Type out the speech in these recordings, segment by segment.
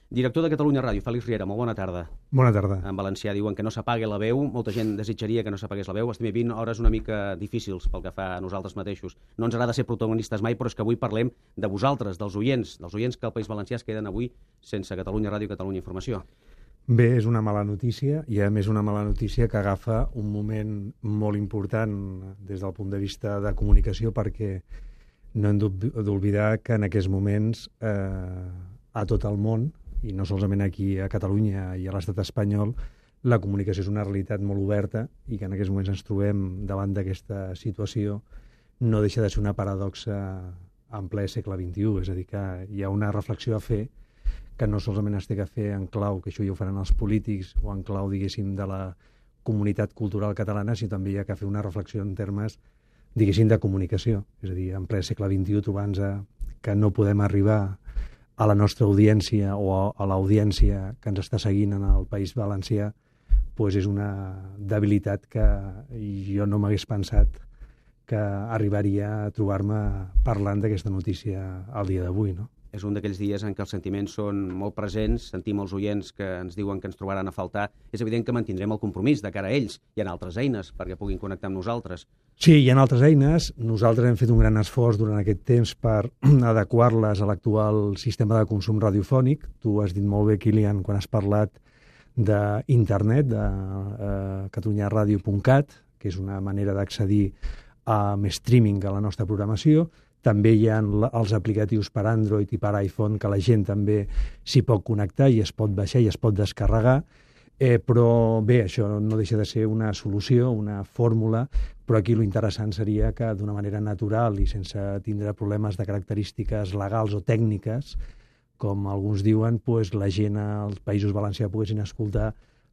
Director de Catalunya Ràdio, Fèlix Riera, molt bona tarda. Bona tarda. En valencià diuen que no s'apague la veu, molta gent desitjaria que no s'apagués la veu, estem vivint hores una mica difícils pel que fa a nosaltres mateixos. No ens agrada ser protagonistes mai, però és que avui parlem de vosaltres, dels oients que al País Valencià es queden avui sense Catalunya Ràdio i Catalunya Informació. Bé, és una mala notícia, i a més una mala notícia que agafa un moment molt important des del punt de vista de comunicació, perquè no hem d'oblidar que en aquests moments a tot el món, i no solament aquí a Catalunya i a l'estat espanyol, la comunicació és una realitat molt oberta i que en aquests moments ens trobem davant d'aquesta situació no deixa de ser una paradoxa en ple segle XXI. És a dir, que hi ha una reflexió a fer que no solament es té que fer en clau, que això ja ho faran els polítics, o en clau, diguéssim, de la comunitat cultural catalana, sinó també hi ha que fer una reflexió en termes, diguéssim, de comunicació. És a dir, en ple segle XXI, trobant-nos que no podem arribar a la nostra audiència o a l'audiència que ens està seguint en el País Valencià, doncs és una debilitat que jo no m'hagués pensat que arribaria a trobar-me parlant d'aquesta notícia al dia d'avui, no? És un d'aquells dies en què els sentiments són molt presents, sentim els oients que ens diuen que ens trobaran a faltar. És evident que mantindrem el compromís de cara a ells. Hi ha altres eines perquè puguin connectar amb nosaltres. Sí, hi ha altres eines. Nosaltres hem fet un gran esforç durant aquest temps per adequar-les a l'actual sistema de consum radiofònic. Tu has dit molt bé, Kilian, quan has parlat d'internet, de catalunyaradio.cat, que és una manera d'accedir amb streaming a la nostra programació. També hi ha els aplicatius per Android i per iPhone, que la gent també s'hi pot connectar i es pot baixar i es pot descarregar. Però bé, això no deixa de ser una solució, una fórmula, però aquí l'interessant seria que d'una manera natural i sense tindre problemes de característiques legals o tècniques, com alguns diuen, doncs la gent als Països Valencià poguessin escoltar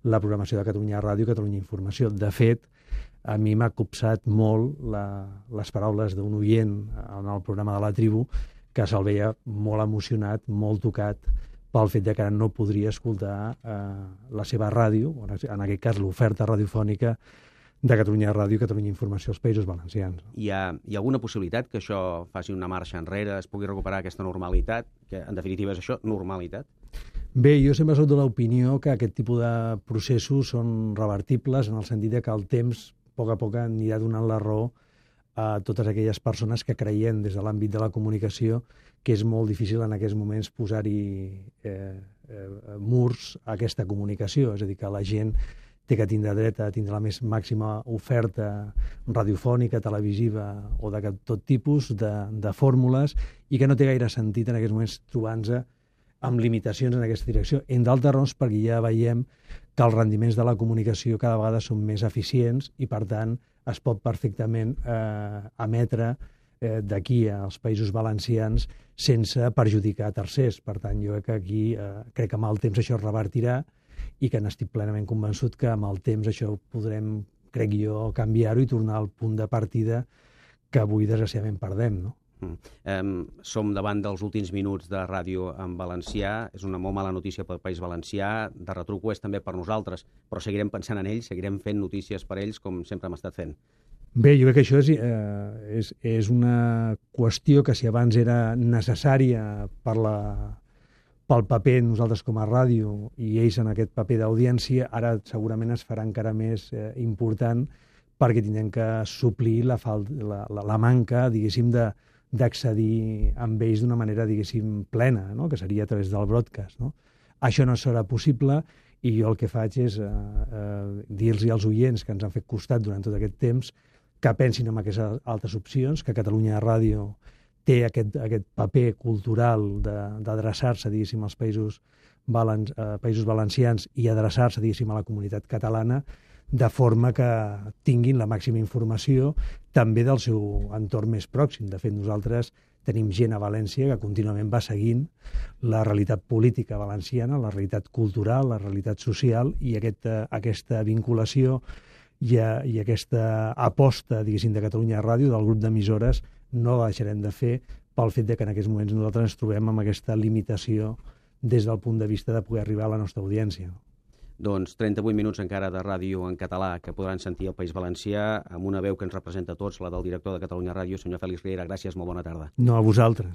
la programació de Catalunya Ràdio i Catalunya Informació. De fet, a mi m'ha copsat molt les paraules d'un oient en el programa de la Tribu, que se'l veia molt emocionat, molt tocat pel fet de que no podria escoltar la seva ràdio, en aquest cas l'oferta radiofònica de Catalunya Ràdio i Catalunya Informació als Països Valencians. Hi ha alguna possibilitat que això faci una marxa enrere, es pugui recuperar aquesta normalitat, que en definitiva és això, normalitat? Bé, jo sempre soc de l'opinió que aquest tipus de processos són revertibles en el sentit que el temps a poc anirà donant la raó a totes aquelles persones que creiem des de l'àmbit de la comunicació que és molt difícil en aquests moments posar-hi murs a aquesta comunicació. És a dir, que la gent té que tindre dret a tindre la més màxima oferta radiofònica, televisiva o de tot tipus de fórmules i que no té gaire sentit en aquests moments trobar-nos amb limitacions en aquesta direcció. En d'altres raons, perquè ja veiem que els rendiments de la comunicació cada vegada són més eficients i, per tant, es pot perfectament emetre d'aquí als Països Valencians sense perjudicar tercers. Per tant, jo crec que aquí crec que amb el temps això es revertirà i que n'estic plenament convençut que amb el temps això podrem, crec jo, canviar-ho i tornar al punt de partida que avui desgraciadament perdem, no? Som davant dels últims minuts de ràdio en valencià. És una molt mala notícia pel País Valencià. De retruc ho és també per nosaltres, però seguirem pensant en ells, seguirem fent notícies per ells com sempre hem estat fent. Bé, jo crec que això és una qüestió que si abans era necessària pel paper nosaltres com a ràdio i ells en aquest paper d'audiència, ara segurament es farà encara més important perquè tindrem que suplir la manca, diguéssim, d'accedir amb ells d'una manera, diguéssim, plena, no? Que seria a través del broadcast, no? Això no serà possible i jo el que faig és dir-los als oients que ens han fet costat durant tot aquest temps que pensin en aquestes altres opcions, que Catalunya Ràdio té aquest paper cultural d'adreçar-se, diguéssim, als Països Valencians i adreçar-se, diguéssim, a la comunitat catalana, de forma que tinguin la màxima informació també del seu entorn més pròxim. De fet, nosaltres tenim gent a València que contínuament va seguint la realitat política valenciana, la realitat cultural, la realitat social, i aquesta vinculació i aquesta aposta, diguéssim, de Catalunya Ràdio, del grup d'emissores, no la deixarem de fer pel fet que en aquests moments nosaltres ens trobem amb aquesta limitació des del punt de vista de poder arribar a la nostra audiència. Doncs 38 minuts encara de ràdio en català que podran sentir al País Valencià amb una veu que ens representa a tots, la del director de Catalunya Ràdio, senyor Fèlix Riera. Gràcies, molt bona tarda. No, a vosaltres.